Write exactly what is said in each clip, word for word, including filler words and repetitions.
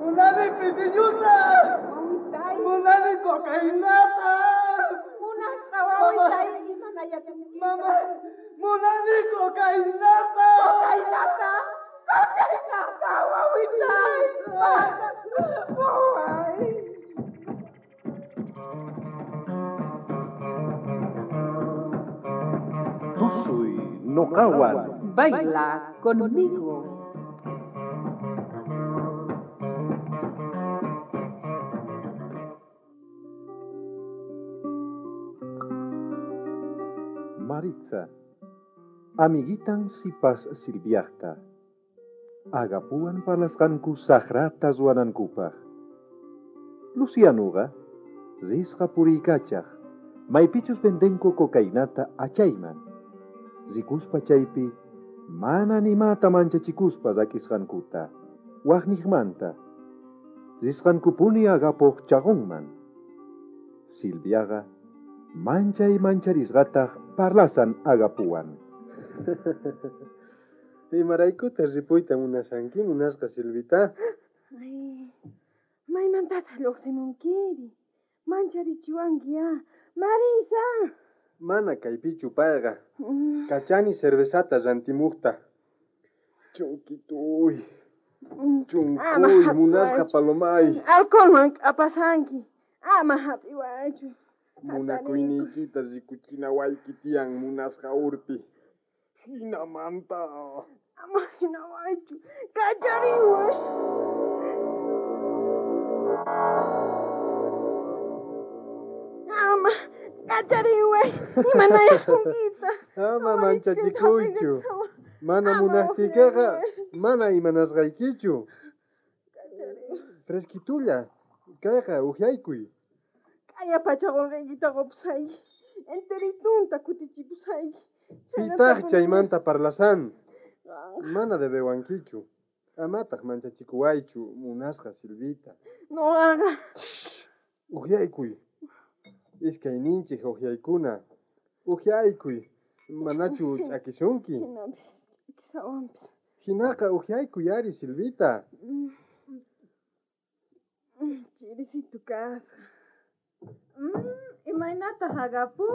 Munani pitiñuta. Wawitay. Munani cocainata. Munasqa wawitay imanayasunkita. Mama, munani cocainata. Cocainata. Cocainata, wawitay. Waway. Tusuy noqawan. Baila conmigo. Maritza, amiguitan sipas Silviajta. Agapuan parlasqanku saqrata ruwanankupaq. Lucianuqa risqa puriykachaq, maypichus vendenku cocainata achayman. Rikuspa chaypi mana nimata manchachikuspa rak'isqankuta, waqniqmanta. Risqankupuni agapuq chaqunman. Silviaqa manchay mancharisqataq parlasan agapuwan. Imaraykuta ripuyta munasanki, munasqa Silvita? Ay, maymantataq lluqsimunkiri? Mancharichiwanki ya. Marisa! Mana kaypichu payqa. Mm. Kachani cervezata rantimuqta. Chunkituy. Mm. Chunkuy, munasqa palomay. Alcoholman k'apasanki. Ama hap'iwaychu. Munakuyniykita rikuchinawayki tiyan munasqa urpi. Hinamanta. Ama hinawaychu. Kachariway. Ama kachariway. Imanayasunkita. Ama manchachikuychu. Mana munaqtiykiqa mana imanasqaykichu. Fresquitulla. Kayqa uhyaykuy. Kaya pacha qolqeykita qopusayki. Enteritunta kutichipusayki. Pitaq chaymanta parlasan. Mana debewankichu. Amataq manchachikuwaychu, munasqa Silvita. Noqaqa. Uhyaykuy. Iskayninchik uhyaykuna. Uhyaykuy. Manachu ch'akisunki. Hinapis ch'akisawanpis. Hinaqa uhyaykuy ari, Silvita. Chirisitu kasqa. Imaynataq agapu?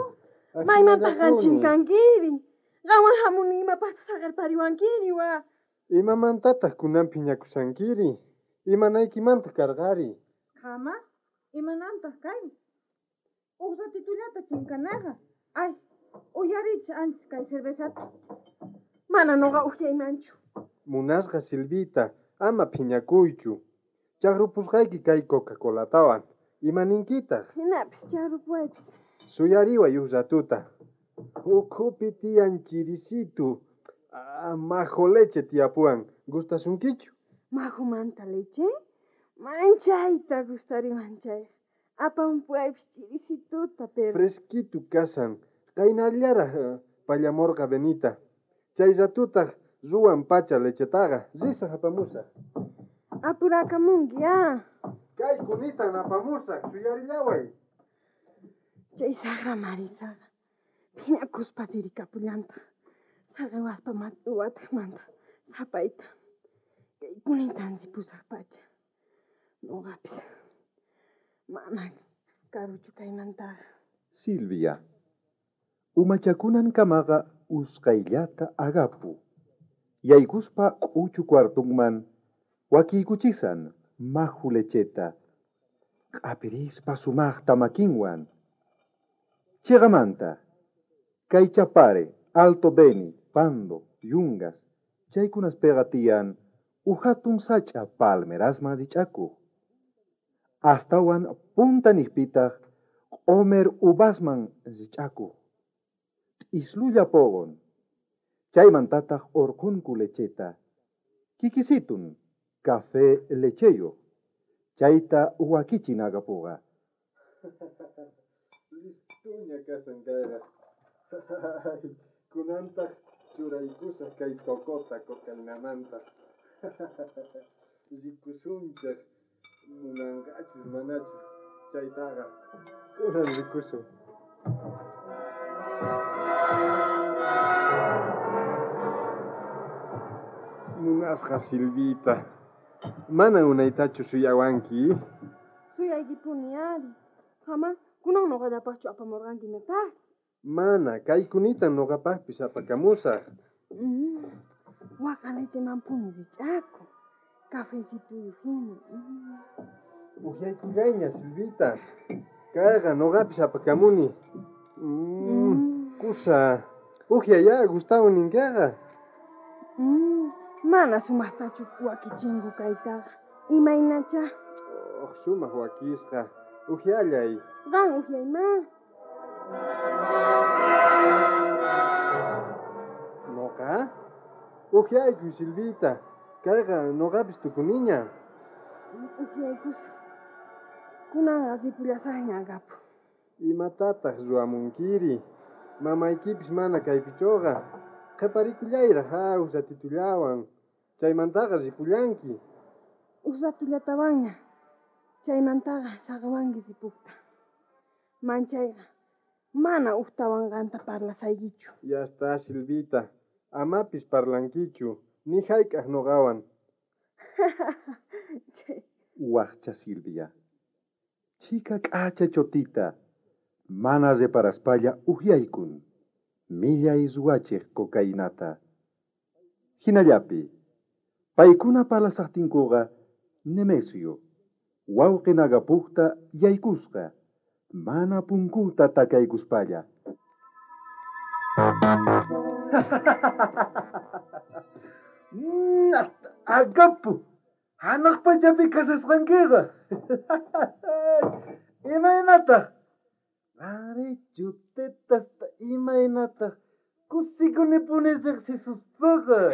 Maymantaq qan chinkankiri? Qanwan hamuni imapaqtaq saqerpariwankiri wa? Imamantataq kunan phiñakusankiri? Imanaykimantaq karqari? Qama, imanantaq kay? Uq ratitullata chinkanaqa. Ay, uyarichis antes kay cervezata. Mana noqa uhyaymanchu. Munasqa Silvita, ama phiñakuychu. Chaqrupusqayki kay Coca-Colatawan. Imaninkitaq? Hinapis chaqrupuwaypis. Suyariway uq ratuta. Ukhupi tiyan chirisitu. Ah, majo leche tiyapuwan. Gustasunkichu? Majomanta leche? Manchayta gustariwan chayqa. Apampuwaypis chirisituta, pero... Fresquitu kasan. Qaynallaraq pallamurqa Benita. Chay ratutaq ruwan pacha lechetaqa. Risaq apamusaq. Apurakamunki, ah. Kay kunitan apamusaq, suyarillaway. Chay saqra Marisaqa phiñakuspa ririkapullantaq. Saqewaspa wataqmanta sapayta. Kay kunitan ripusaq pacha. Noqapis mana karuchu kaymantaqa. Silvia, umachakunan kamaqa usqayllata agapu. Yaykuspa k'uchu cuartunman wakiykuchisan maju lecheta. Q'apirispa sumaqta makinwan. Chiqamanta, kay Chapare, Alto Beni, Pando, Yungas, chaykunaspiqa tiyan uhatun sach'a palmerasman rich'akuq. Astawan punta niqpitaq q'omer uvasman rich'akuq. T'islulla poqon. Chaymantataq urqunku lecheta. Kikisitun, café lecheyuq. Chayta wakichin agapuqa. Listuña kasan kayqa. Kunantaq churaykusaq kay tokota cocainamanta. Rikusunchaq munanqachus manachus chaytaqa. Kunan rikusun. Munasqa Silvita. Mana unaytachu suyawanki. Suyaykipuni ari. Jama, kunan noqallapaqchu apamurqanki nataq? Mana, kaykunita noqapaqpis apakamusaq. Mm. Waka lechemanpuni rich'akun. Cafecituyu hina. Mm. Uhyaykullayña, Silvita. Kayqa noqapis apakamuni. Mm. Mm. Kusa, uhyayá Gustavo ninkaqa. Mm. Mana sumaqtachu wakichinku kaytaqa. Imaynacha? Oh, sumaq wakisqa. Uhyallay. Qan uhyayma. Noqa? Uhyaykuy, Silvita. Kayqa noqapis tukuniña. Uhyaykusaq. Kunanqa ripullasaqña agapu. Imatataq ruwamunkiri? Mamaykipis mana kaypichuqa. Qhiparikullayra ha uj ratitullawan. Chaymantaqa ripullanki. Uj ratullatawanña. Chaymantaqa saqawanki ripukta. Manchayqa mana ujtawan qanta parlasaykichu. Ya está, Silvita. Amapis parlankichu. Ni hayk'aq noqawan. Chay. Wajcha Silvia. Chika k'acha chotita. Mana reparaspalla uhyaykun. Millay ruwachej cocainata. Hinallapi. Paykuna parlasaqtinkuqa Nemesio. Wawqin Agapujta yaykusqa. Mana punkuta takaykuspalla. Mm, Agapu, hanaq pachapi kasasqankiqa. Imaynataq? Ari chutetasta imaynataq kusikunipuni riqsisuspaqa.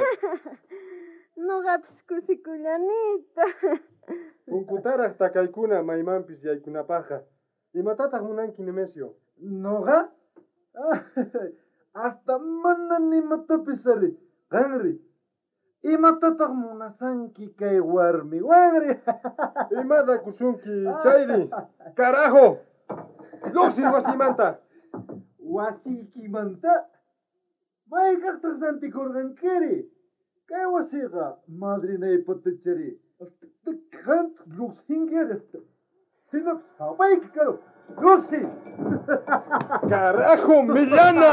Noqapis kusikullanita. Punkutaraq takaykuna maymanpis yaykunapaqqa. Imatataq munanki, Nemesio? Noqa? Hasta mana nimatapis ari. Qanri. Imatataq munasanki kay warmiwanri? Imada kusunki, chayri. Carajo! Lluqsiy wasimanta. Wasiykimanta? Maykaqtaq rantikurqankiri? Kay wasiqa madrinaypatachari. Qantaq lluqsinki ari. Hinapis hapayki karu. Lluqsiy! ¡Carajo, Millana!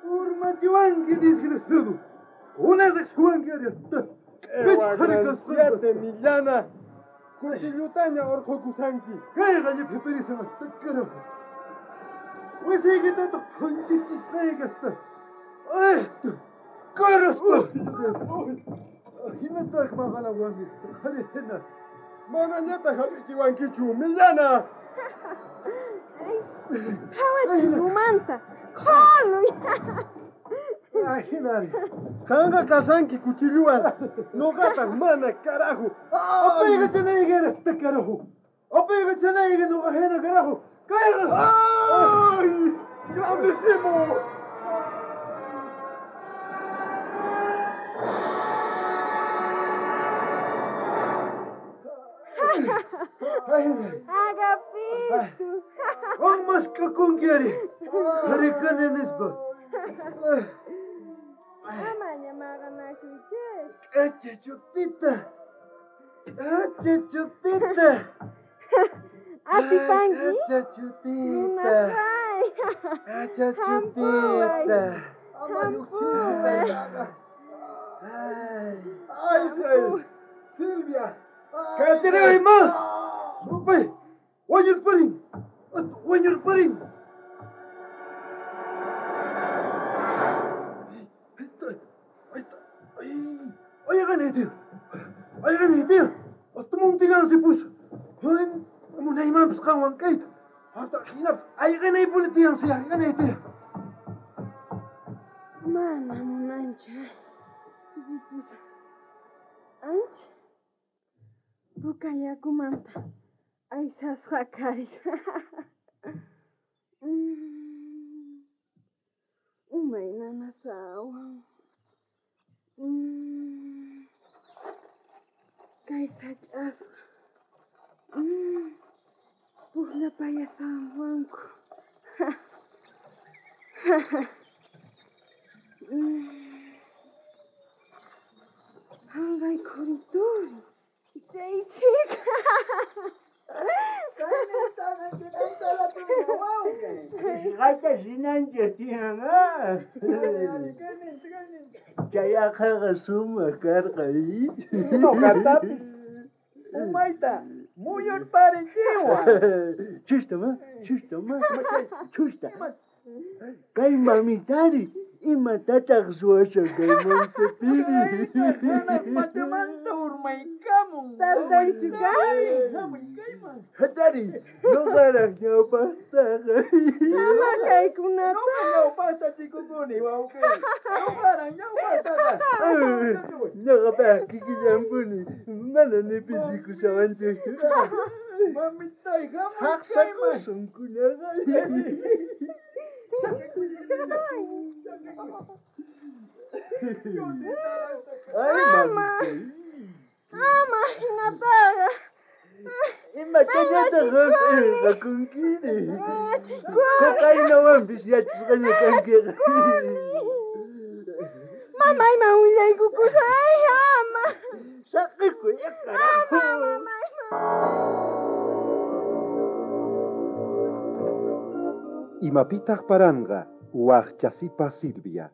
Urmachiwanki, desgraciado. Una riqsiwanki ari. ¡Qué Millana! Cuchillutaña orqhukusanki. Kayqa lliphipirishan hasta carajo. Wasiykitataj phunchichisqayki hasta. Ay, caraspa. Hinataq maqalawanki. Qhari hina. Manañataq hap'ichiwankichu, Millana! Phawachi umanta. Qholuy. Ajinari. Qanqa kasanki kuchilluwan. Noqataq mana, carajo. Apayqa chanayki hasta carajo. Apayqa chanayki noqa hina carajo. Kayqa. ¡Ay! ¡Grandísimo! Agapito. Qan ari. Harikani nispa. Amaña maqanakuychis. K'acha chutita. K'acha chutita. Atipanki? K'acha chutita. Munasqay. K'acha Hampuway. chutita. Hampuway. Ay. ¡Ay, ay! ¡Silvia! Kachariy ma. Supay. Wañurparin. Wañurparin. Ayqanaytiy. Ayqanaytiy. Hasta montilan sipus. Munaymanpis qanwan kayta. Hasta hinapis ayqanaypuni tiyansi ayqanaytiy. Mana munanchu. Ripusaq. Ancha. Puka yakumanta aysasqa karis. Mm. Umay nanasawan. Mm. Kay sach'asqa. Mm. Pukllapayasawanku. Mm. Jangay kurituri. Chay chika. Qisqata rinanchik tiyan, ah. Chay aqhaqa sumaq karqa. Noqatapis umayta muyurparichiwan. Chusta ma, chusta ma, chusta. Kay mamitari, imatataq ruwashan kay montepiri? Hanaq pachamanta urmaykamun. Tardaychu kay? Hamuy kayman. Hatari, noqaraq ñawpaqtaqa. Ama kaykunata. Noqa ñawpaqta chikukuni, wawqi. Noqaraq ñawpaqtaqa. Noqapaq kikillanpuni, mana ni pisikushawanchikchu. Mamitay, hamuy kayman. Saqsakusun kunaqa. Ay, Ama. mamitay. Ama hinataqa. Imatallataq qam p'inqakunkiri? Chikuni. Cocainawanpis yachasqaña kankiqa. Mamayman willaykukusay, ama. Saqikuy, Ama, carajo. mamayman. Imapitaq paranqa waqchasipa Silvia.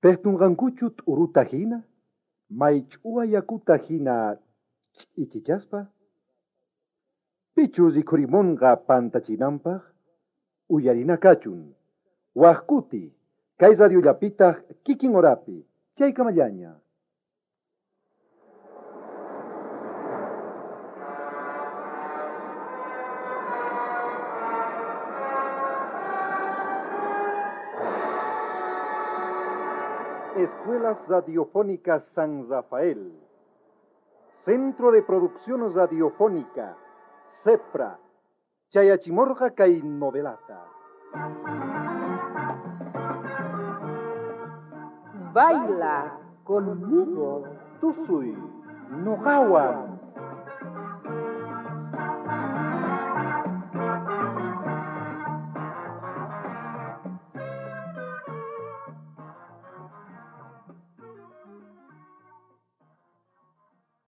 Pejtunqankuchu t'uruta hina, maych'uwa yakuta hina ch'ichichaspa. Pichu rikhurimunqa pantachinanpaq, uyarina kachun. Waqkuti, kay radiollapitaq kikin horapi, chaykamallaña. Escuelas Radiofónicas San Rafael. Centro de Producción Radiofónica, CEPRA. Chayachimorga kay novelata. Baila conmigo. Tusuy, noqawan.